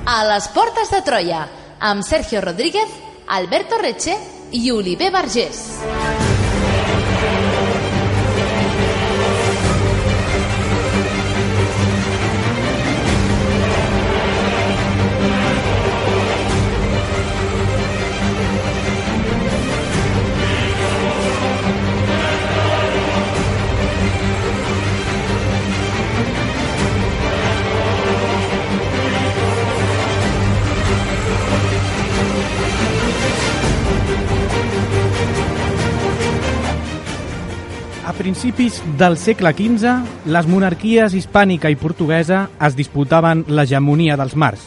A les portes de Troia, amb Sergio Rodríguez, Alberto Reche i Oliver Vergés. A principis del segle XV, les monarquies hispànica i portuguesa es disputaven l'hegemonia dels mars.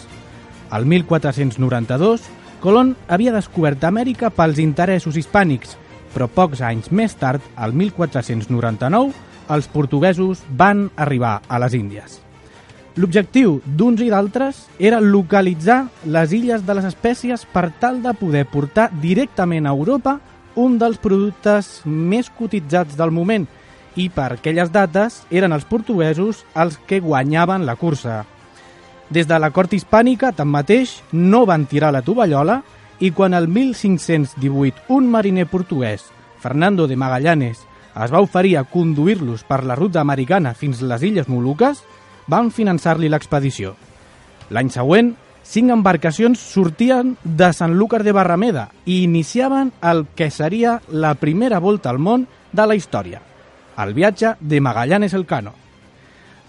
El 1492, Colón havia descobert Amèrica pels interessos hispànics, però pocs anys més tard, el 1499, els portuguesos van arribar a les Índies. L'objectiu d'uns i d'altres era localitzar les illes de les espècies per tal de poder portar directament a Europa un dels productes més cotitzats del moment, i per aquelles dates eren els portuguesos els que guanyaven la cursa. Des de la cort hispànica, tanmateix, no van tirar la tovallola, i quan el 1518 un mariner portuguès, Fernando de Magallanes, es va oferir a conduir-los per la ruta americana fins a les Illes Moluques, van finançar-li l'expedició. L'any següent, 5 embarcacions sortien de Sanlúcar de Barrameda i iniciaven el que seria la primera volta al món de la història, el viatge de Magallanes Elcano.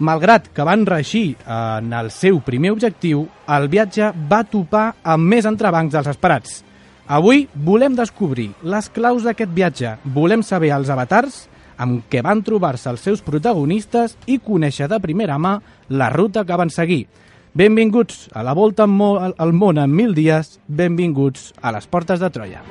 Malgrat que van reeixir en el seu primer objectiu, el viatge va topar amb més entrebancs dels esperats. Avui volem descobrir les claus d'aquest viatge, volem saber els avatars amb què van trobar-se els seus protagonistes i conèixer de primera mà la ruta que van seguir. Benvinguts a la volta al món en 1000 dies, benvinguts a les portes de Troia.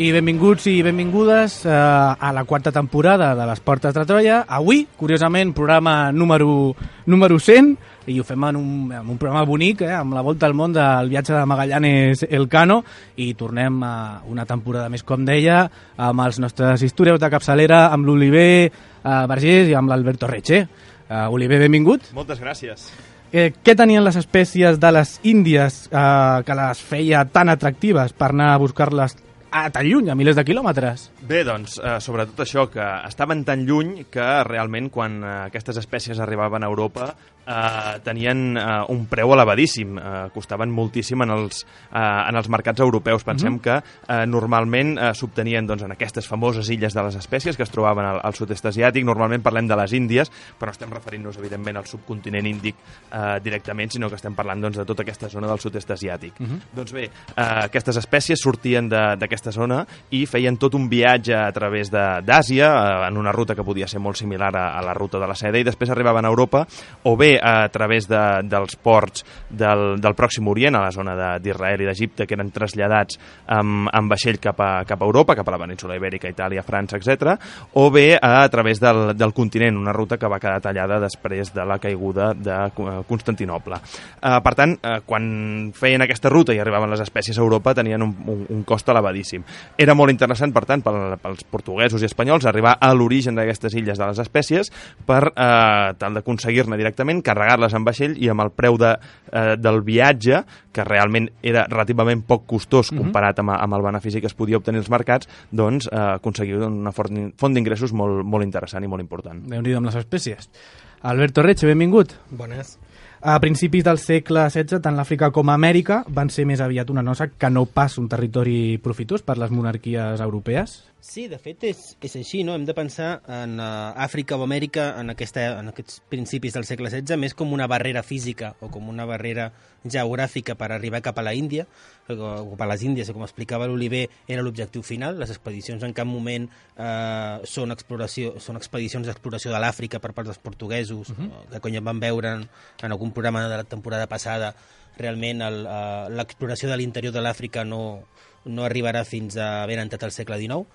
I benvinguts i benvingudes a la quarta temporada de les Portes de Troia. Avui, curiosament, programa número 100, i ho fem en un programa bonic, amb la volta al món del viatge de Magallanes Elcano, i tornem a una temporada més, com deia, amb els nostres historiadors de capçalera, amb l'Oliver Vergés i amb l'Alberto Reche. Oliver, benvingut. Moltes gràcies. Què tenien les espècies de les Índies que les feia tan atractives per anar a buscar-les tan lluny, a milers de quilòmetres? Bé, doncs, sobretot això, que estaven tan lluny que realment quan aquestes espècies arribaven a Europa tenien un preu elevadíssim, costaven moltíssim en els mercats europeus. Pensem que normalment s'obtenien en aquestes famoses illes de les espècies que es trobaven al sud-est asiàtic. Normalment parlem de les Índies, però no estem referint-nos, evidentment, al subcontinent índic directament, sinó que estem parlant de tota aquesta zona del sud-est asiàtic. Doncs bé, aquestes espècies sortien d'aquesta zona i feien tot un viatge a través d'Àsia, en una ruta que podia ser molt similar a la ruta de la seda, i després arribaven a Europa, o bé a través dels ports del Pròxim Orient, a la zona d'Israel i d'Egipte, que eren traslladats amb vaixell cap a Europa, cap a la península Ibèrica, Itàlia, França, etc., o bé a través del continent, una ruta que va quedar tallada després de la caiguda de Constantinoble. Per tant, quan feien aquesta ruta i arribaven les espècies a Europa, tenien un cost elevadíssim. Era molt interessant, per tant, pels portuguesos i espanyols arribar a l'origen d'aquestes illes de les espècies per tal d'aconseguir-ne directament, carregar-les en vaixell i amb el preu del viatge, que realment era relativament poc costós comparat amb el benefici que es podia obtenir als mercats, doncs aconseguir una font d'ingressos molt interessant i molt important. Déu-n'hi-do amb les espècies. Alberto Reche, benvingut. Bones. A principis del segle XVI, tant l'Àfrica com Amèrica van ser més aviat una nosa que no pas un territori profitós per les monarquies europees. Sí, de fet és així, no? Hem de pensar en Àfrica o Amèrica en aquests principis del segle XVI més com una barrera física o com una barrera geogràfica per arribar cap a la Índia, o cap a les Índies, com explicava l'Oliver, era l'objectiu final. Les expedicions en cap moment són expedicions d'exploració de l'Àfrica per part dels portuguesos, que com ja vam veure en algun programa de la temporada passada, realment l'exploració de l'interior de l'Àfrica no arribarà fins a ben entrat al segle XIX,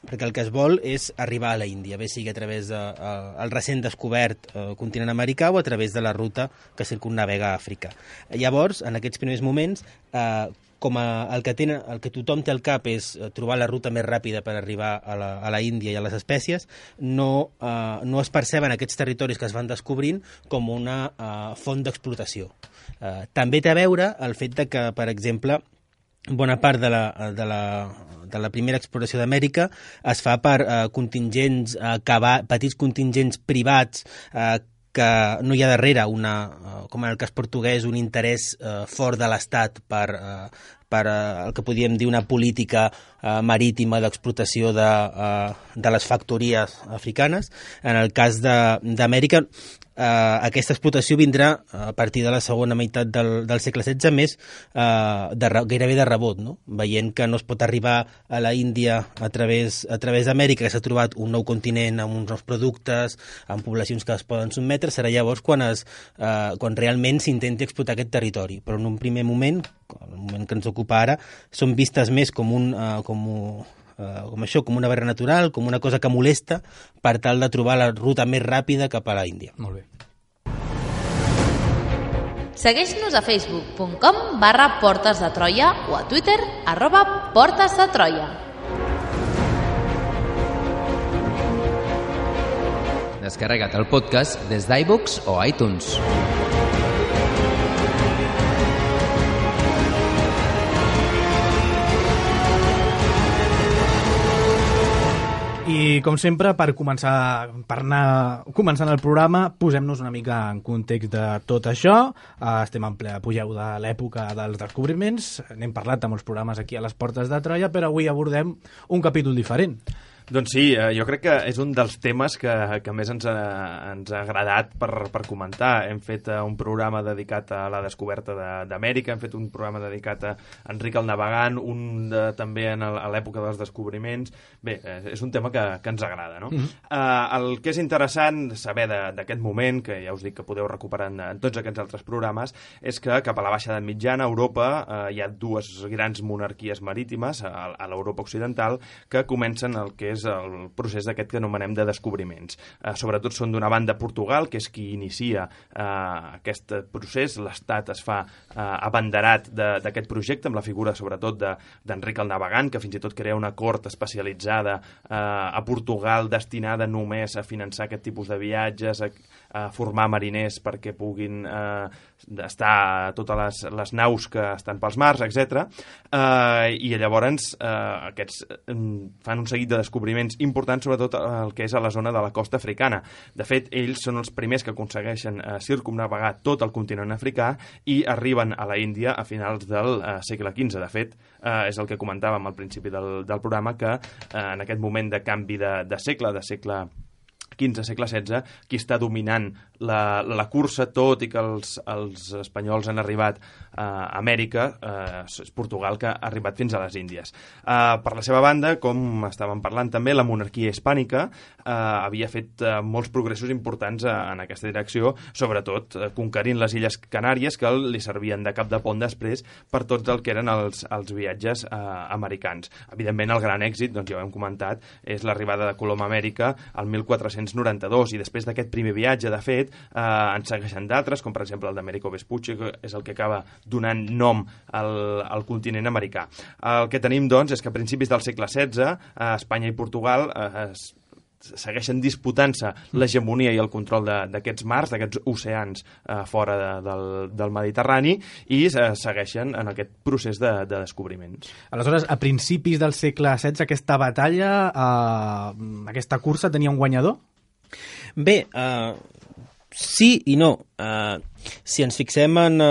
perquè el que es vol és arribar a la Índia, bé sigui a través del recent descobert continent americà o a través de la ruta que circumnavega Àfrica. Llavors, en aquests primers moments, el que tothom té al cap és trobar la ruta més ràpida per arribar a la Índia i a les espècies, no es perceben aquests territoris que es van descobrint com una font d'explotació. També té a veure el fet de que, per exemple, bona part de la primera exploració d'Amèrica es fa per contingents, petits contingents privats que no hi ha darrere, com en el cas portuguès, un interès fort de l'Estat per el que podríem dir una política marítima d'explotació de les factories africanes. En el cas d'Amèrica, aquesta explotació vindrà a partir de la segona meitat del segle XVI més gairebé de rebot, no? Veient que no es pot arribar a la Índia a través d'Amèrica, que s'ha trobat un nou continent amb uns nous productes, amb poblacions que es poden sotmetre, serà llavors quan realment s'intenti explotar aquest territori. Però en un primer moment, el moment que ens ocupa ara, són vistes més com una barrera natural, com una cosa que molesta per tal de trobar la ruta més ràpida cap a la Índia. Molt bé. Segueix-nos a facebook.com/Portes de Troia o a Twitter @Portes de Troia. Descarrega't el podcast des d'iVoox o iTunes. I, com sempre, per anar començant el programa, posem-nos una mica en context de tot això. Estem en ple apogeu de l'època dels descobriments. N'hem parlat a molts programes aquí a les Portes de Troia, però avui abordem un capítol diferent. Doncs sí, jo crec que és un dels temes que més ens ha agradat per comentar. Hem fet un programa dedicat a la descoberta d'Amèrica, hem fet un programa dedicat a Enric el Navegant, també a l'època dels descobriments. Bé, és un tema que ens agrada, no? El que és interessant saber d'aquest moment, que ja us dic que podeu recuperar en tots aquests altres programes, és que cap a la baixada mitjana, a Europa, hi ha dues grans monarquies marítimes, a l'Europa occidental, que comencen el que és el procés d'aquest que anomenem de descobriments. Sobretot són d'una banda Portugal, que és qui inicia aquest procés. L'Estat es fa abanderat d'aquest projecte, amb la figura sobretot d'Enric el Navegant, que fins i tot crea una cort especialitzada a Portugal destinada només a finançar aquest tipus de viatges, a formar mariners perquè puguin estar a totes les naus que estan pels mars, etc. I llavors aquests fan un seguit de descobriments importants, sobretot el que és a la zona de la costa africana. De fet, ells són els primers que aconsegueixen circumnavegar tot el continent africà i arriben a la Índia a finals del segle XV. De fet, és el que comentàvem al principi del programa, que en aquest moment de canvi de segle XV, segle XVI, qui està dominant la cursa, tot i que els espanyols han arribat a Amèrica, és Portugal, que ha arribat fins a les Índies. Per la seva banda, com estàvem parlant també, la monarquia hispànica havia fet molts progressos importants en aquesta direcció, sobretot conquerint les Illes Canàries, que li servien de cap de pont després per tots el que eren els viatges americans. Evidentment, el gran èxit, doncs ja ho hem comentat, és l'arribada de Colom a Amèrica al 1492, i després d'aquest primer viatge, de fet, en segueixen d'altres, com per exemple el d'Américo Vespucci, que és el que acaba donant nom al continent americà. El que tenim, doncs, és que a principis del segle XVI, Espanya i Portugal segueixen disputant-se l'hegemonia i el control d'aquests mars, d'aquests oceans fora del Mediterrani, i segueixen en aquest procés de descobriments. Aleshores, a principis del segle XVI, aquesta batalla, aquesta cursa, tenia un guanyador? Bé, Sí i no. Si ens fixem en,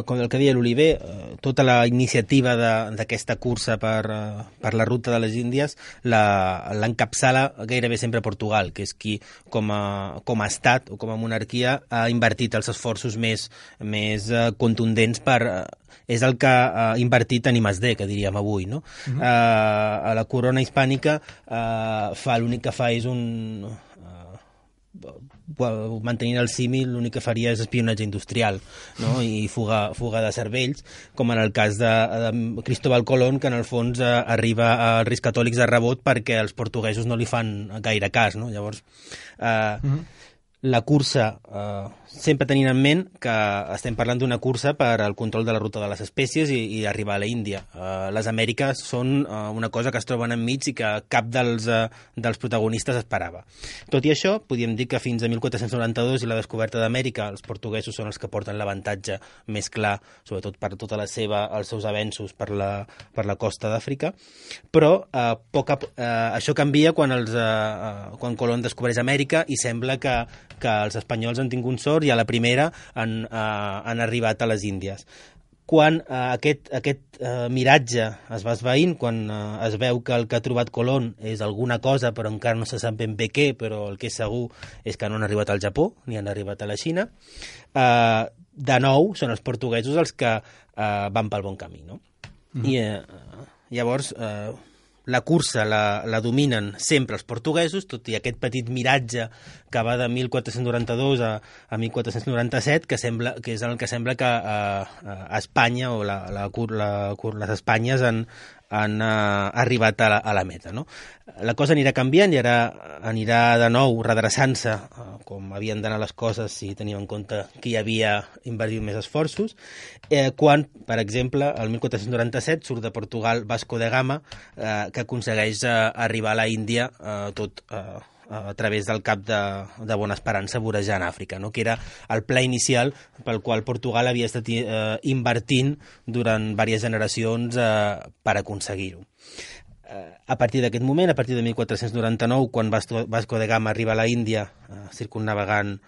com el que deia l'Oliver, tota la iniciativa d'aquesta cursa per la ruta de les Índies l'encapçala gairebé sempre Portugal, que és qui, com a estat o com a monarquia, ha invertit els esforços més contundents és el que ha invertit en I+D, que diríem avui, no? A la corona hispànica l'únic que fa és mantenint el símil, l'únic que faria és espionatge industrial, no? I fuga de cervells, com en el cas de Cristóbal Colón, que en el fons arriba als Reis Catòlics de rebot perquè els portuguesos no li fan gaire cas, no? Llavors, la cursa, sempre tenint en ment que estem parlant d'una cursa per al control de la ruta de les espècies i arribar a la Índia. Les Amèriques són una cosa que es troben enmig i que cap dels protagonistes esperava. Tot i això, podríem dir que fins a 1492 i la descoberta d'Amèrica, els portuguesos són els que porten l'avantatge més clar, sobretot per tota els seus avenços per la costa d'Àfrica, però això canvia quan Colón descobreix Amèrica i sembla que els espanyols han tingut sort i a la primera han arribat a les Índies. Quan aquest miratge es va esvaint, quan es veu que el que ha trobat Colón és alguna cosa però encara no se sap ben bé què, però el que és segur és que no han arribat al Japó ni han arribat a la Xina, de nou són els portuguesos els que van pel bon camí, no? I llavors la cursa la dominen sempre els portuguesos, tot i aquest petit miratge que va de 1492 a 1497, que és el que sembla que a Espanya o les Espanyes han arribat a la meta, no? La cosa anirà canviant i ara anirà de nou redreçant-se com havien d'anar les coses si teníem en compte que hi havia invertit més esforços, quan, per exemple, el 1497 surt de Portugal Vasco de Gama, que aconsegueix arribar a la Índia tot a través del cap de Bona Esperança vorejant Àfrica, no? Que era el pla inicial pel qual Portugal havia estat invertint durant diverses generacions per aconseguir-ho. A partir d'aquest moment, a partir de 1499, quan Vasco de Gama arriba a la Índia circumnavegant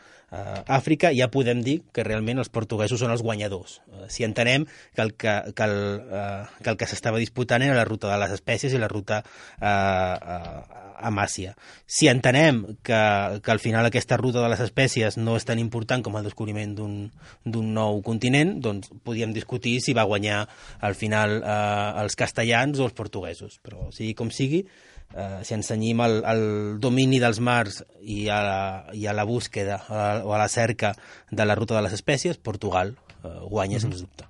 Àfrica, ja podem dir que realment els portuguesos són els guanyadors. Si entenem que el que s'estava disputant era la ruta de les espècies i la ruta a Màsia. Si entenem que al final aquesta ruta de les espècies no és tan important com el descobriment d'un nou continent, doncs podíem discutir si va guanyar al final els castellans o els portuguesos. Però sigui com sigui, si ens cenyim al domini dels mars i a la búsqueda o a la cerca de la ruta de les espècies, Portugal guanya sens dubte.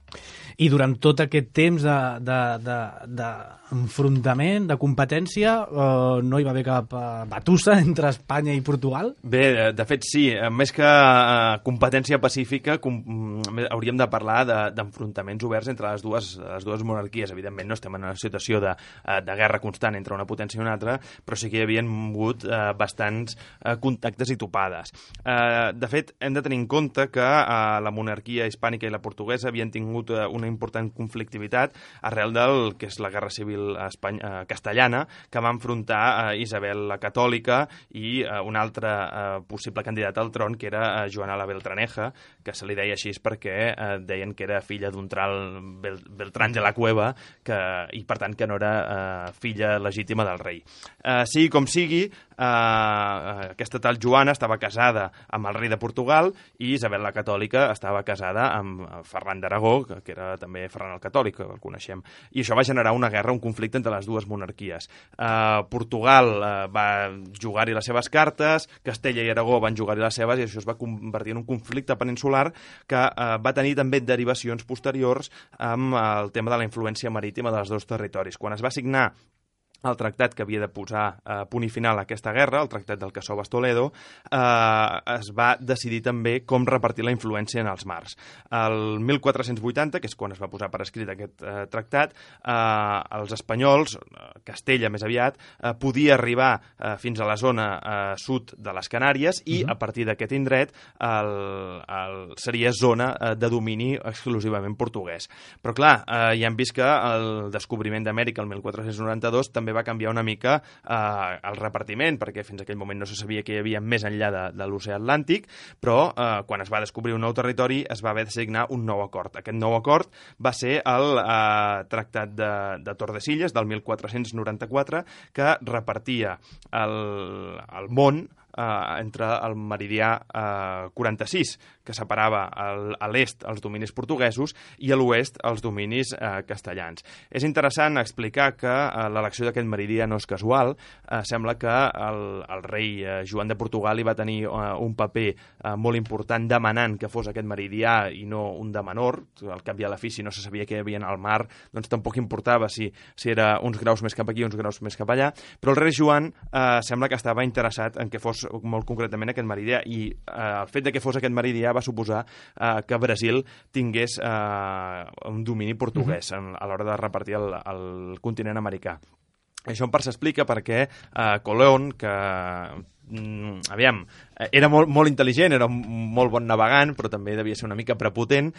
I durant tot aquest temps d'enfrontament, de competència, no hi va haver cap batussa entre Espanya i Portugal? Bé, de fet sí. Més que competència pacífica, hauríem de parlar d'enfrontaments oberts entre les dues monarquies. Evidentment no estem en una situació de guerra constant entre una potència i una altra, però sí que hi havia hagut bastants contactes i topades. De fet, hem de tenir en compte que la monarquia hispànica i la portuguesa havien tingut una important conflictivitat arrel del que és la Guerra Civil castellana, que va enfrontar Isabel la Catòlica i un altre possible candidat al tron, que era Joana la Beltraneja, que se li deia així perquè deien que era filla d'un tal Beltrán de la Cueva i, per tant, que no era filla legítima del rei. Sigui com sigui, aquesta tal Joana estava casada amb el rei de Portugal i Isabel la Catòlica estava casada amb Ferran d'Aragó, que era també Ferran el Catòlic, que el coneixem. I això va generar una guerra, un conflicte entre les dues monarquies. Portugal va jugar-hi les seves cartes, Castella i Aragó van jugar-hi les seves, i això es va convertir en un conflicte peninsular que va tenir també derivacions posteriors amb el tema de la influència marítima dels dos territoris. Quan es va signar el tractat que havia de posar punt i final a aquesta guerra, el tractat del Casovas-Toledo, es va decidir també com repartir la influència en els mars. El 1480, que és quan es va posar per escrit aquest tractat, els espanyols, Castella més aviat, podia arribar fins a la zona sud de les Canàries i a partir d'aquest indret seria zona de domini exclusivament portuguès. Però clar, ja hem vist que el descobriment d'Amèrica el 1492 també també va canviar una mica el repartiment, perquè fins a aquell moment no se sabia què hi havia més enllà de l'oceà Atlàntic, però quan es va descobrir un nou territori es va haver de signar un nou acord. Aquest nou acord va ser el Tractat de Tordesillas del 1494, que repartia el món entre el meridià 46, que separava a l'est els dominis portuguesos i a l'oest els dominis castellans. És interessant explicar que l'elecció d'aquest meridià no és casual. Sembla que el rei Joan de Portugal hi va tenir un paper molt important demanant que fos aquest meridià i no un de menor. Al cap i a la fi, si no se sabia què hi havia al mar, doncs tampoc importava si era uns graus més cap aquí o uns graus més cap allà, però el rei Joan sembla que estava interessat en que fos molt concretament aquest meridià, i el fet de que fos aquest meridià va suposar que Brasil tingués un domini portuguès a l'hora de repartir el continent americà. Això en part s'explica perquè Colón, que era molt intel·ligent, era un molt bon navegant, però també devia ser una mica prepotent.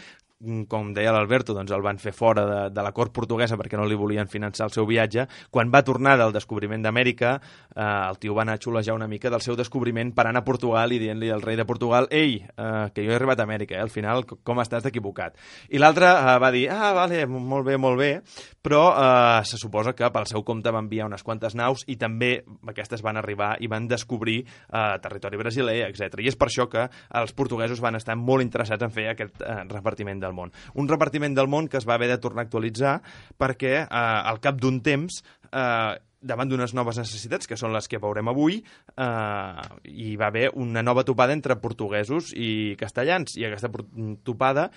Com deia l'Alberto, doncs el van fer fora de la cort portuguesa perquè no li volien finançar el seu viatge. Quan va tornar del descobriment d'Amèrica, el tio va anar a xulejar una mica del seu descobriment parant a Portugal i dient-li al rei de Portugal: «Ei, que jo he arribat a Amèrica, al final com estàs equivocat?» I l'altre va dir: «Vale, molt bé», però se suposa que pel seu compte va enviar unes quantes naus i també aquestes van arribar i van descobrir territori brasiler, etc. I és per això que els portuguesos van estar molt interessats en fer aquest repartiment del món. Un repartiment del món que es va haver de tornar a actualitzar perquè al cap d'un temps, davant d'unes noves necessitats, que són les que veurem avui, hi va haver una nova topada entre portuguesos i castellans, i aquesta topada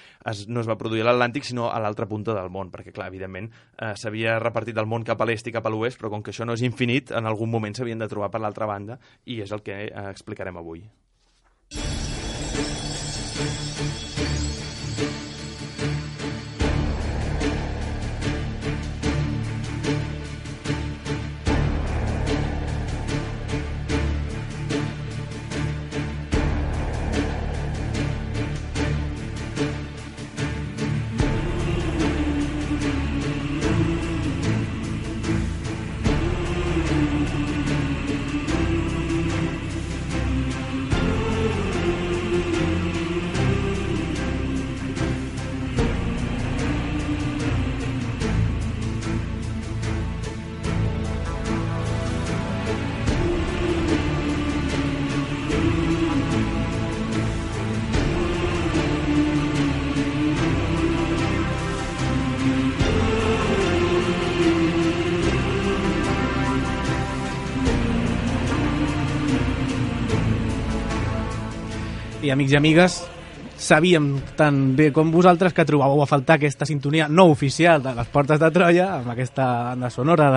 no es va produir a l'Atlàntic, sinó a l'altra punta del món, perquè, clar, evidentment, s'havia repartit el món cap a l'est i cap a l'oest, però com que això no és infinit, en algun moment s'havien de trobar per l'altra banda, i és el que explicarem avui. I amics i amigues, sabíem tan bé com vosaltres que trobàveu a faltar aquesta sintonia no oficial de les Portes de Troia, amb aquesta banda sonora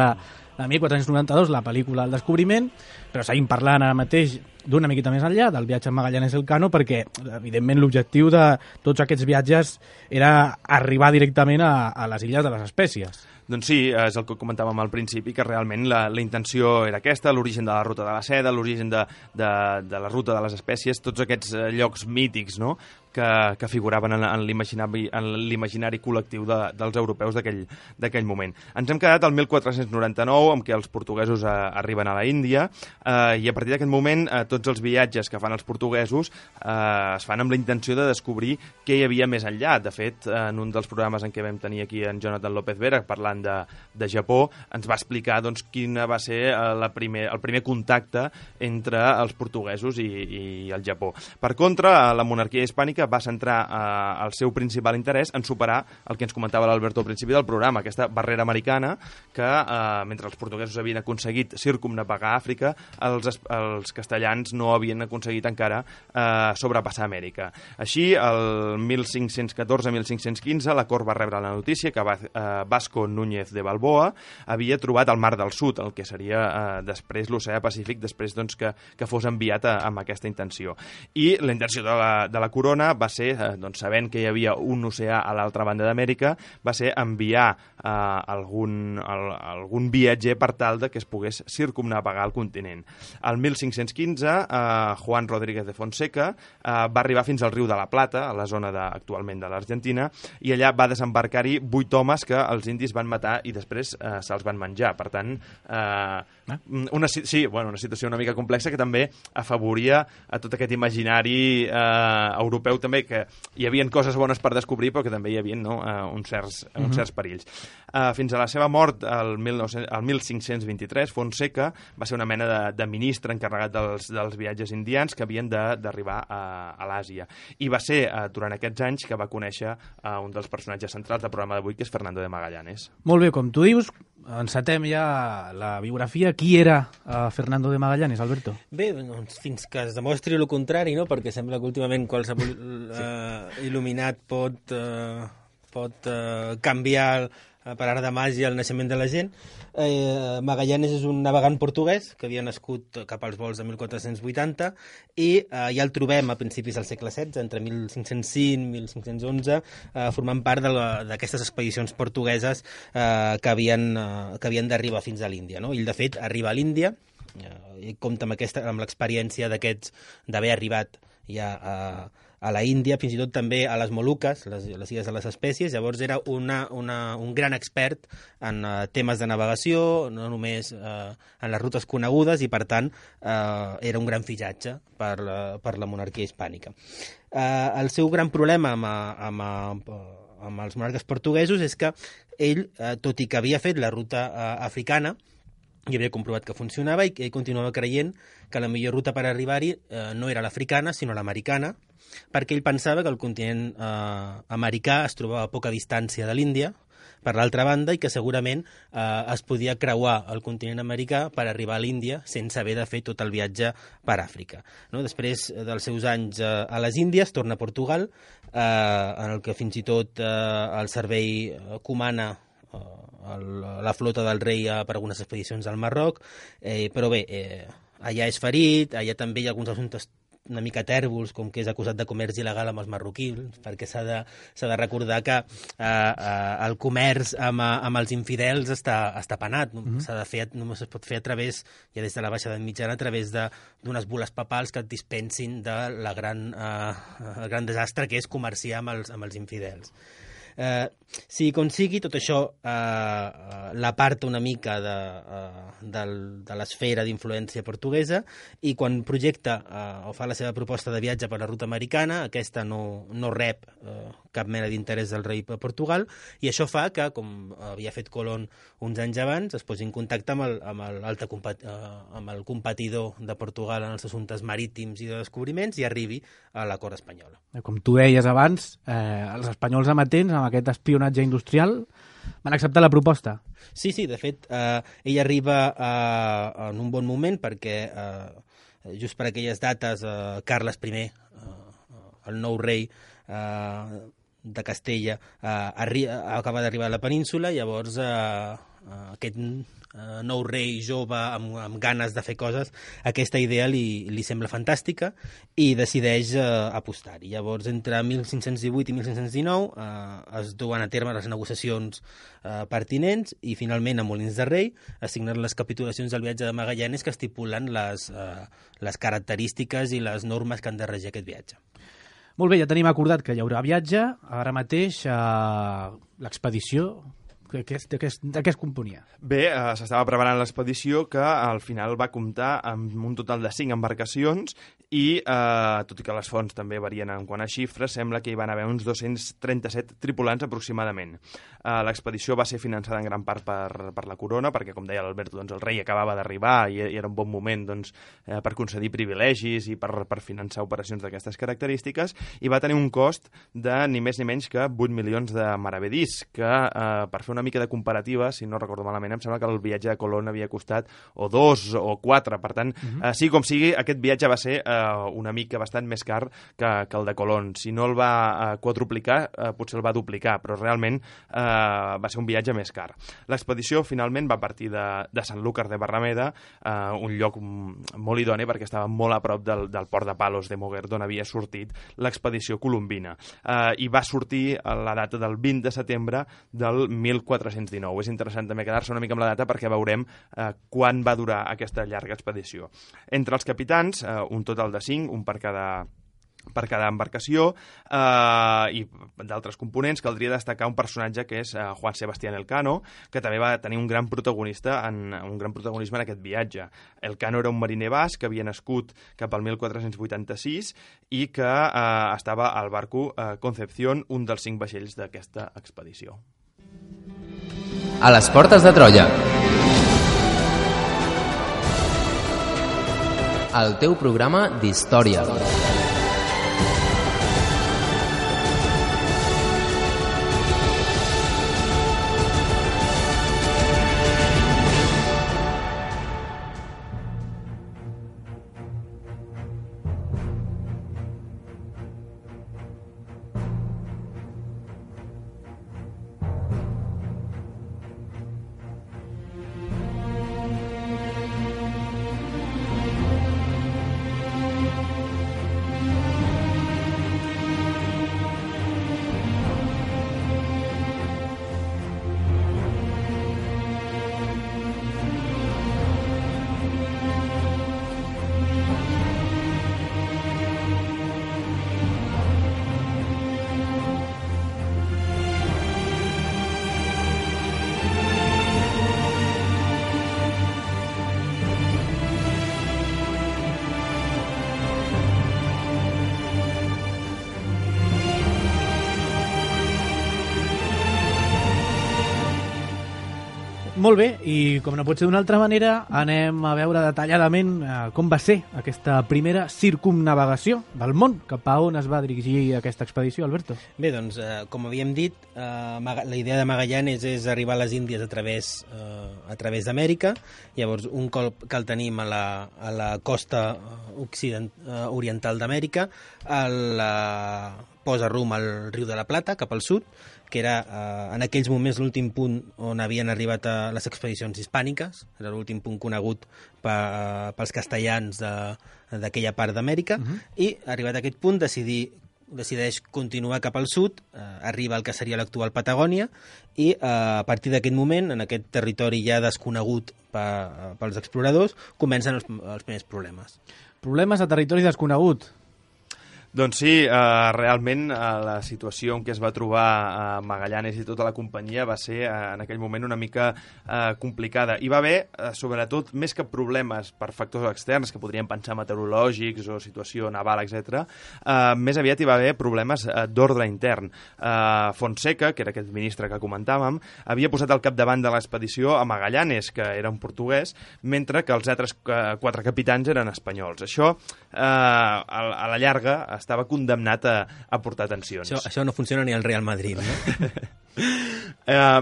de 1492, la pel·lícula El descobriment, però seguim parlant ara mateix d'una miqueta més enllà, del viatge amb Magallanes Elcano, perquè, evidentment, l'objectiu de tots aquests viatges era arribar directament a les illes de les Espècies. Doncs sí, és el que comentàvem al principi, que realment la intenció era aquesta, l'origen de la ruta de la seda, l'origen de la ruta de les espècies, tots aquests llocs mítics, no?, que figuraven en l'imaginari col·lectiu dels europeus d'aquell moment. Ens hem quedat al 1499, amb què els portuguesos arriben a la Índia, i a partir d'aquest moment tots els viatges que fan els portuguesos es fan amb la intenció de descobrir què hi havia més enllà. De fet, en un dels programes en què vam tenir aquí en Jonathan López Vera, parlant de Japó, ens va explicar doncs, quin va ser el primer contacte entre els portuguesos i el Japó. Per contra, la monarquia hispànica va centrar el seu principal interès en superar el que ens comentava l'Alberto al principi del programa, aquesta barrera americana que, mentre els portuguesos havien aconseguit circumnavegar Àfrica, els castellans no havien aconseguit encara sobrepassar Amèrica. Així, el 1514-1515, la cort va rebre la notícia que Vasco Núñez de Balboa havia trobat el Mar del Sud, el que seria després l'oceà Pacífic, després doncs, que fos enviat amb aquesta intenció. I la intenció de la corona va ser, doncs, sabent que hi havia un oceà a l'altra banda d'Amèrica, va ser enviar algun viatger per tal de que es pogués circumnavegar el continent. El 1515, Juan Rodríguez de Fonseca va arribar fins al riu de la Plata, a la zona actualment de l'Argentina, i allà va desembarcar-hi 8 homes que els indis van matar i després se'ls van menjar. Per tant, una situació una mica complexa que també afavoria a tot aquest imaginari europeu també, que hi havia coses bones per descobrir, però que també hi havia uns certs perills. Fins a la seva mort, el 1523, Fonseca va ser una mena de ministre encarregat dels viatges indians que havien d'arribar a l'Àsia. I va ser durant aquests anys que va conèixer un dels personatges centrals del programa d'avui, que és Fernando de Magallanes. Molt bé, com tu dius, encetem ja la biografia. Qui era Fernando de Magallanes, Alberto? Bé, doncs, fins que es demostri el contrari, no? Perquè sembla que últimament qualsevol il·luminat pot canviar per art de màgia el naixement de la gent. Magallanes és un navegant portuguès que havia nascut cap als vols de 1480 i ja el trobem a principis del segle XVI, entre 1505 i 1511, formant part d'aquestes expedicions portugueses que havien d'arribar fins a l'Índia, no? Ell, de fet, arriba a l'Índia i compta amb l'experiència d'haver arribat ja a la Índia, fins i tot també a les Moluques, les illes de les Espècies. Llavors era un gran expert en temes de navegació, no només en les rutes conegudes, i per tant era un gran fitxatge per la monarquia hispànica. El seu gran problema amb els monarques portuguesos és que ell, tot i que havia fet la ruta africana, i havia comprovat que funcionava, i ell continuava creient que la millor ruta per arribar-hi no era l'africana, sinó l'americana, perquè ell pensava que el continent americà es trobava a poca distància de l'Índia, per l'altra banda, i que segurament es podia creuar el continent americà per arribar a l'Índia sense haver de fer tot el viatge per Àfrica. No? Després dels seus anys a les Índies, torna a Portugal, en el que fins i tot el servei comana la flota del rei per algunes expedicions al Marroc, però bé, allà és ferit, allà també hi ha alguns assumptes una mica tèrbols, com que és acusat de comerç il·legal amb els marroquins, perquè s'ha de recordar que el comerç amb els infidels està penat. Només es pot fer a través, ja des de la Baixa Edat Mitjana, a través d'unes bules papals que et dispensin el gran desastre que és comerciar amb els infidels. Si consigui, tot això l'aparta una mica de l'esfera d'influència portuguesa, i quan projecta o fa la seva proposta de viatge per la ruta americana, aquesta no rep cap mena d'interès del rei de Portugal, i això fa que, com havia fet Colón uns anys abans, es posi en contacte amb el competidor de Portugal en els assumptes marítims i de descobriments, i arribi a la cort espanyola. Com tu deies abans, els espanyols amatents, amb aquest espionatge industrial, van acceptar la proposta. Sí, de fet, ell arriba en un bon moment, perquè just per aquelles dates Carles I, el nou rei de Castella, acaba d'arribar a la península. Llavors aquest nou rei jove amb ganes de fer coses, aquesta idea li sembla fantàstica i decideix apostar-hi. Llavors, entre 1518 i 1519 es duen a terme les negociacions pertinents, i finalment a Molins de Rei es signen les capitulacions del viatge de Magallanes, que estipulen les característiques i les normes que han de regir aquest viatge. Molt bé, ja tenim acordat que hi haurà viatge. Ara mateix l'expedició, de què es componia? Bé, s'estava preparant l'expedició, que al final va comptar amb un total de 5 embarcacions i, tot i que les fonts també varien en quant a xifres, sembla que hi van haver uns 237 tripulants aproximadament. L'expedició va ser finançada en gran part per la corona, perquè, com deia l'Alberto, el rei acabava d'arribar i era un bon moment per concedir privilegis i per finançar operacions d'aquestes característiques, i va tenir un cost de ni més ni menys que 8 milions de maravedís, que per fer una mica de comparativa, si no recordo malament, em sembla que el viatge de Colón havia costat o 2 o 4, per tant, sigui com sigui, aquest viatge va ser una mica bastant més car que el de Colón. Si no el va quadruplicar, potser el va duplicar, però realment va ser un viatge més car. L'expedició finalment va partir de Sanlúcar de Barrameda, un lloc molt idoni perquè estava molt a prop del port de Palos de Moguer, d'on havia sortit l'expedició colombina. I va sortir a la data del 20 de setembre del 1419. És interessant també quedar-se una mica amb la data perquè veurem quan va durar aquesta llarga expedició. Entre els capitans, un total de 5, un per cada embarcació, i d'altres components, caldria destacar un personatge que és Juan Sebastián Elcano, que també va tenir un gran protagonisme en aquest viatge. Elcano era un mariner basc que havia nascut cap al 1486 i que estava al barco Concepción, un dels 5 vaixells d'aquesta expedició. A les portes de Troia. El teu programa d'història. Molt bé, i com no pot ser d'una altra manera, anem a veure detalladament com va ser aquesta primera circumnavegació del món, cap a on es va dirigir aquesta expedició, Alberto. Bé, doncs, com havíem dit, la idea de Magallanes és arribar a les Índies a través d'Amèrica. Llavors, un cop que el tenim a la costa oriental d'Amèrica, posa rumb al riu de la Plata, cap al sud, que era en aquells moments l'últim punt on havien arribat les expedicions hispàniques, era l'últim punt conegut pels castellans d'aquella part d'Amèrica, i arribat a aquest punt decideix continuar cap al sud, arriba al que seria l'actual Patagònia, i a partir d'aquest moment, en aquest territori ja desconegut pels exploradors, comencen els primers problemes. Problemes a territori desconegut. Doncs sí, realment la situació en què es va trobar Magallanes i tota la companyia va ser en aquell moment una mica complicada. Hi va haver, sobretot, més que problemes per factors externs, que podríem pensar meteorològics o situació naval, etc. Més aviat hi va haver problemes d'ordre intern. Fonseca, que era aquest ministre que comentàvem, havia posat al capdavant de l'expedició a Magallanes, que era un portuguès, mentre que els altres 4 capitans eren espanyols. Això, a la llarga, estava condemnat a portar tensions. Això no funciona ni al Real Madrid, no?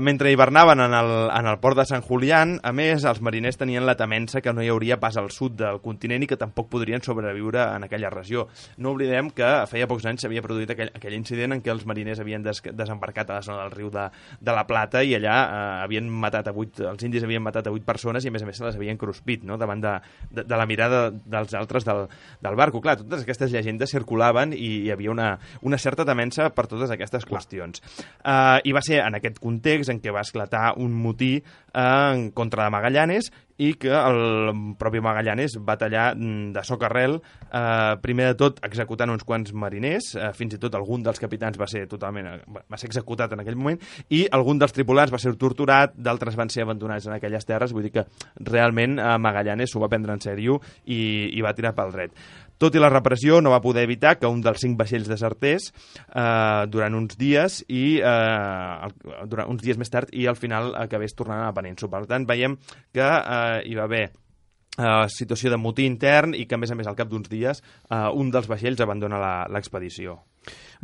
Mentre hivernaven en el port de Sant Julián, a més, els mariners tenien la temença que no hi hauria pas al sud del continent i que tampoc podrien sobreviure en aquella regió. No oblidem que feia pocs anys s'havia produït aquell incident en què els mariners havien desembarcat a la zona del riu de la Plata i allà els indis havien matat a 8 persones i a més se les havien cruspit, no?, davant de la mirada dels altres del barco. Clar, totes aquestes llegendes circulaven i hi havia una certa temença per totes aquestes qüestions. I va ser en aquest context en què va esclatar un motí en contra de Magallanes i que el propi Magallanes va tallar de socarrel, primer de tot executant uns quants mariners, fins i tot algun dels capitans va ser executat en aquell moment, i algun dels tripulants va ser torturat, d'altres van ser abandonats en aquelles terres, vull dir que realment Magallanes s'ho va prendre en sèrio i va tirar pel dret. Tot i la repressió, no va poder evitar que un dels 5 vaixells desertés durant uns dies uns dies més tard i al final acabés tornant a la península. Per tant, veiem que hi va haver situació de motí intern i que, a més, al cap d'uns dies, un dels vaixells abandona l'expedició.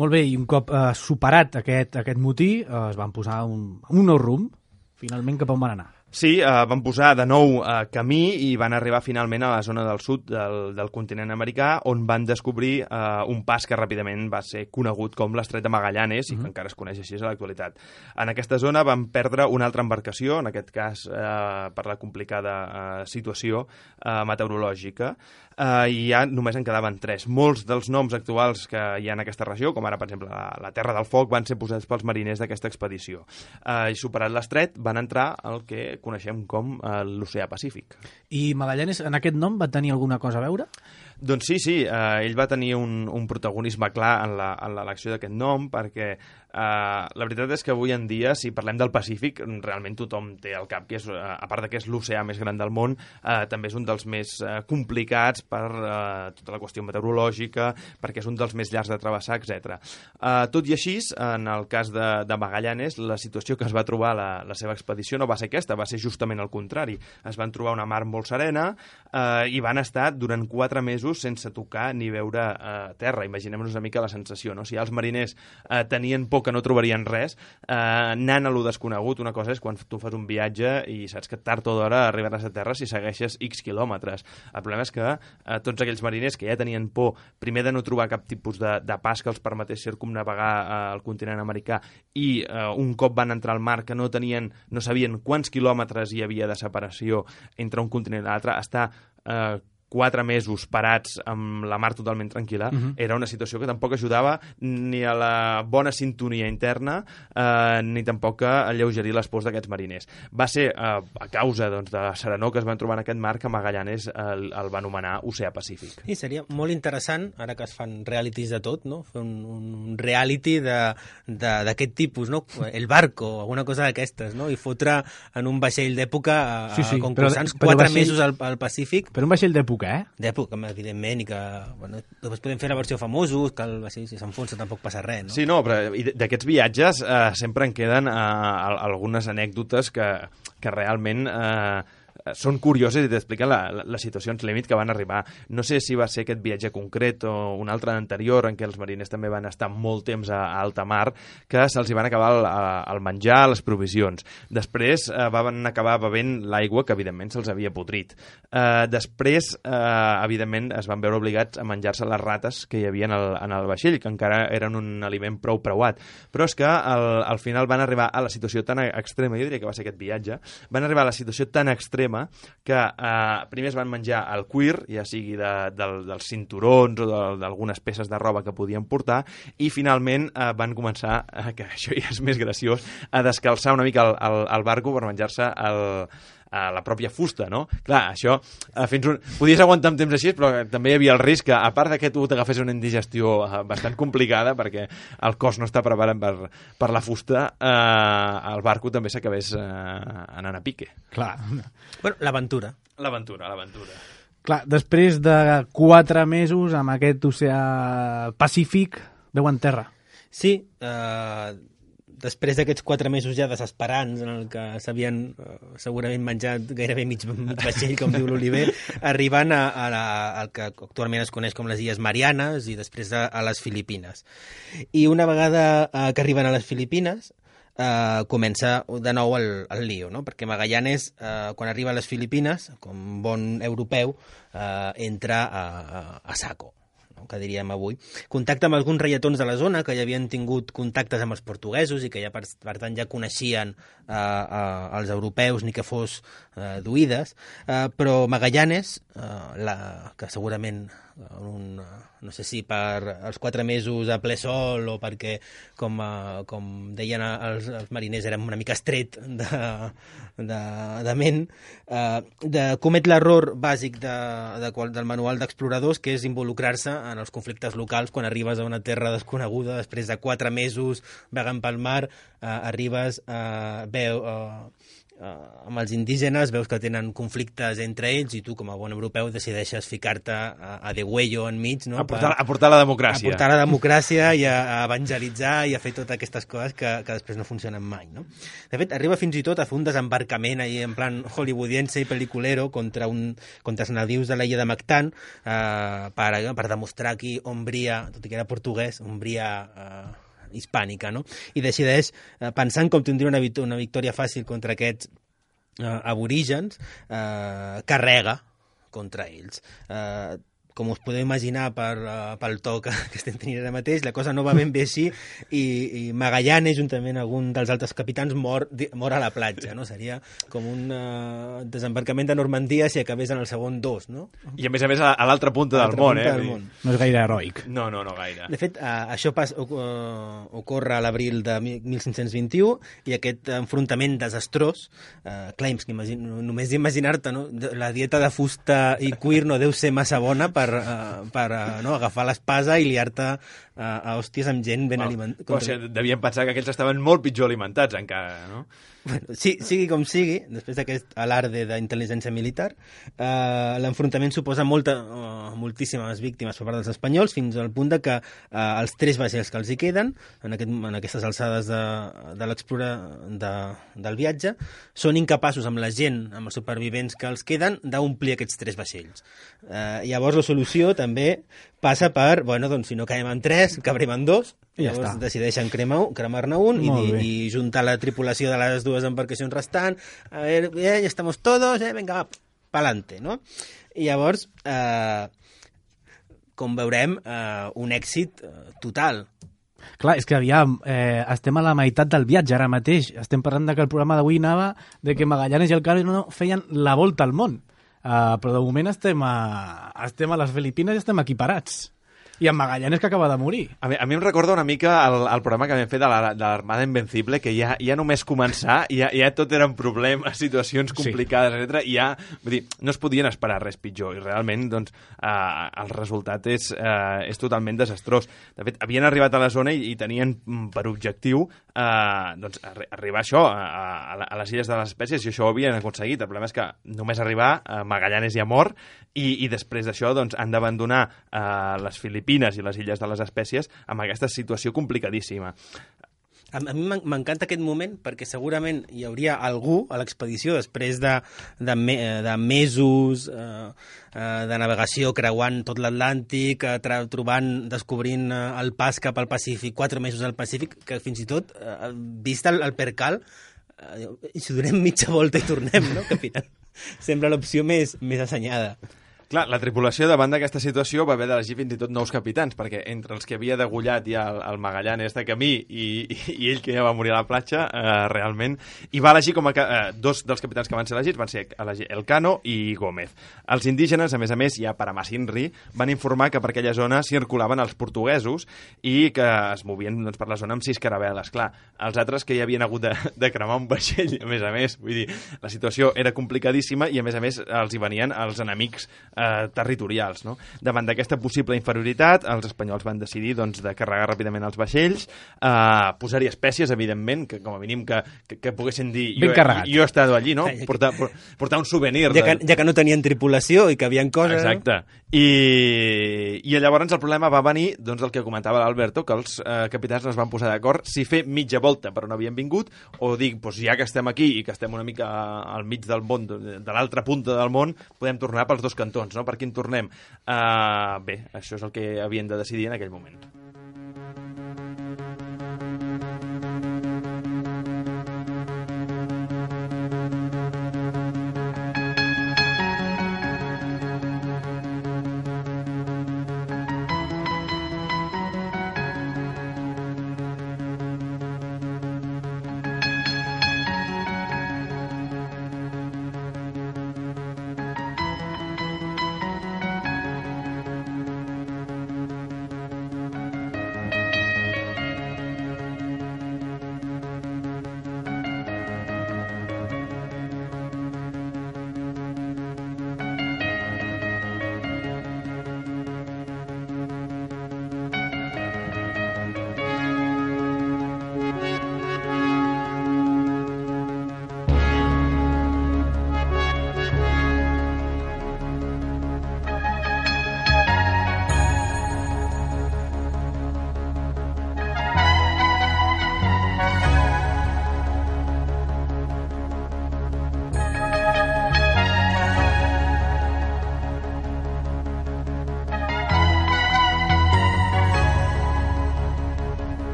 Molt bé, i un cop superat aquest motí, es van posar un nou rumb. Finalment, cap on van anar? Sí, van posar de nou camí i van arribar finalment a la zona del sud del continent americà, on van descobrir un pas que ràpidament va ser conegut com l'Estret de Magallanes i que encara es coneix així a l'actualitat. En aquesta zona van perdre una altra embarcació, en aquest cas per la complicada situació meteorològica, i ja només en quedaven 3. Molts dels noms actuals que hi ha en aquesta regió, com ara, per exemple, la Terra del Foc, van ser posats pels mariners d'aquesta expedició. I superat l'estret, van entrar al que coneixem com l'Oceà Pacífic. I Magallanes, en aquest nom, va tenir alguna cosa a veure? Doncs sí, ell va tenir un protagonisme clar en l'elecció d'aquest nom, perquè la veritat és que avui en dia, si parlem del Pacífic, realment tothom té al cap que és, a part que és l'oceà més gran del món, també és un dels més complicats per tota la qüestió meteorològica, perquè és un dels més llargs de travessar, etc. Tot i així, en el cas de Magallanes, la situació que es va trobar la seva expedició no va ser aquesta, va ser justament el contrari. Es van trobar una mar molt serena i van estar durant 4 mesos sense tocar ni veure terra. Imaginem-nos una mica la sensació, no? Si els mariners tenien por que no trobarien res, anant a lo desconegut, una cosa és quan tu fas un viatge i saps que tard o d'hora arribaràs a terra si segueixes X quilòmetres. El problema és que tots aquells mariners que ja tenien por, primer de no trobar cap tipus de pas que els permetés circumnavegar el continent americà i un cop van entrar al mar que no sabien quants quilòmetres hi havia de separació entre un continent i l'altre, estar 4 mesos parats amb la mar totalment tranquil·la, era una situació que tampoc ajudava ni a la bona sintonia interna ni tampoc a alleugerir les pors d'aquests mariners. Va ser a causa de la serenor que es van trobar en aquest mar que Magallanes el va anomenar Oceà Pacífic. I seria molt interessant, ara que es fan realities de tot, no? Fer un reality d'aquest tipus, no? El Barco, alguna cosa d'aquestes, no? I fotre en un vaixell d'època a concursants 4 mesos al Pacífic. Però un vaixell d'època, d'època, evidentment, i que després podem fer la versió famosos, que el vaixell si s'enfonsa tampoc passa res, no? Sí, no, però d'aquests viatges sempre en queden algunes anècdotes que realment són curioses i t'expliquen les situacions límit que van arribar. No sé si va ser aquest viatge concret o un altre anterior en què els mariners també van estar molt temps a alta mar, que se'ls van acabar el menjar, les provisions. Després van acabar bevent l'aigua que evidentment se'ls havia podrit. Després, evidentment, es van veure obligats a menjar-se les rates que hi havia en el vaixell, que encara eren un aliment prou preuat. Però és que al final van arribar a la situació tan extrema, jo diria que va ser aquest viatge, van arribar a la situació tan extrema que primer es van menjar el cuir, ja sigui dels cinturons o d'algunes peces de roba que podien portar, i finalment van començar, que això ja és més graciós, a descalçar una mica el barco per menjar-se la pròpia fusta, no? Clar, això podies aguantar un temps així, però també hi havia el risc que, a part que tu t'agafés una indigestió bastant complicada, perquè el cos no està preparat per la fusta, el barco també s'acabés anant a pique. Clar. Bueno, l'aventura. L'aventura. Clar, després de 4 mesos amb aquest oceà Pacífic, veuen terra. Sí, després d'aquests 4 mesos ja desesperants en el que s'havien segurament menjat gairebé mig vaixell, com diu l'Oliver, arribant al que actualment es coneix com les Illes Marianes i després a les Filipines. I una vegada que arriben a les Filipines, comença de nou el lío, no? Perquè Magallanes, quan arriba a les Filipines, com bon europeu, entra a saco, que diríem avui. Contacta amb alguns reietons de la zona que ja havien tingut contactes amb els portuguesos i que ja, per tant, ja coneixien els europeus, ni que fos d'oïdes, però Magallanes, que segurament no sé si per els 4 mesos a ple sol o perquè, com deien els mariners, érem una mica estret de ment, comet l'error bàsic del manual d'exploradors, que és involucrar-se en els conflictes locals quan arribes a una terra desconeguda, després de 4 mesos vagant pel mar, arribes amb els indígenes, veus que tenen conflictes entre ells i tu, com a bon europeu, decideixes ficar-te a degüello enmig, no? A portar la democràcia. A portar la democràcia i a evangelitzar i a fer totes aquestes coses que després no funcionen mai, no? De fet, arriba fins i tot a fer un desembarcament ahí en plan hollywoodiense i peliculero contra els nadius de l'illa de Mactan per demostrar qui Ombria, tot i que era portuguès, Ombria hispànica, no? I decideix, pensant com tindria una victòria fàcil contra aquests aborígens, carrega contra ells. Com us podeu imaginar pel to que estem tenint ara mateix, la cosa no va ben bé així i Magallanes, juntament amb algun dels altres capitans, mor a la platja, no? Seria com un desembarcament de Normandia si acabés en el segon 2, no? I a més a l'altra punta del món, No és gaire heroic. No gaire. De fet, això ocorre a l'abril de 1521 i aquest enfrontament desastrós, claims que només d'imaginar-te, no? La dieta de fusta i cuir no deu ser massa bona per agafar l'espasa i liar-te a hòsties amb gent ben alimentada. O sigui, devien pensar que aquells estaven molt pitjor alimentats encara, no? Bueno, sigui com sigui, després d'aquest alarde d'intel·ligència militar, l'enfrontament suposa moltíssimes víctimes per part dels espanyols, fins al punt de que els 3 vaixells que els hi queden, en aquestes alçades del viatge, són incapaços amb la gent, amb els supervivents que els queden, d'omplir aquests 3 vaixells. Llavors la solució també passa per, doncs, si no caiem en 3, cabrem en 2, i llavors decideixen cremar-ne un i juntar la tripulació de les 2 embarcacions restants. A ver, ya estamos todos, venga, pa'lante, no? I llavors, com veurem, un èxit total. Clar, és que estem a la meitat del viatge ara mateix. Estem parlant que el programa d'avui anava de que Magallanes i Elcano feien la volta al món. Però de moment estem a les Filipines i estem equiparats. I en Magallanes, que acaba de morir. A mi em recorda una mica el programa que vam fer de l'Armada Invencible, que ja només començar, ja tot eren problemes, situacions complicades, etc. I ja, vull dir, no es podien esperar res pitjor. I realment, doncs, el resultat és totalment desastrós. De fet, havien arribat a la zona i tenien per objectiu doncs, arribar a això, a les Illes de les Espècies, i això ho havien aconseguit. El problema és que només arribar, Magallanes ja mor, i després d'això doncs, han d'abandonar les Filipines i les Illes de les Espècies amb aquesta situació complicadíssima. A mi m'encanta aquest moment perquè segurament hi hauria algú a l'expedició després de mesos de navegació creuant tot l'Atlàntic, descobrint el pas cap al Pacífic, 4 mesos al Pacífic, que fins i tot, vist el percal, i si donem mitja volta i tornem, no? Que al final sembla l'opció més assenyada. Clar, la tripulació davant d'aquesta situació va haver d'elegir fins i tot nous capitans, perquè entre els que havia degullat ja el Magallanes de camí i ell que ja va morir a la platja, realment, i va elegir com a 2 dels capitans que van ser elegits, van ser Elcano i Gómez. Els indígenes, a més, ja per Amasinri, van informar que per aquella zona circulaven els portuguesos i que es movien doncs, per la zona amb 6 caravel·les. Clar, els altres que ja havien hagut de cremar un vaixell, a més, vull dir, la situació era complicadíssima i, a més, els hi venien els enemics territorials, no? Davant d'aquesta possible inferioritat, els espanyols van decidir doncs, de carregar ràpidament els vaixells, posar-hi espècies, evidentment, que com a mínim que poguessin dir jo he estat allí, no? Portar un souvenir. Ja que no tenien tripulació i que havien coses... Exacte. I llavors el problema va venir doncs, el que comentava l'Alberto, que els capitans no es van posar d'acord si fer mitja volta per on havien vingut o dir, doncs, ja que estem aquí i que estem una mica al mig del món, de l'altra punta del món, podem tornar pels 2 cantons, no? Per quin tornem? Bé, això és el que havien de decidir en aquell moment.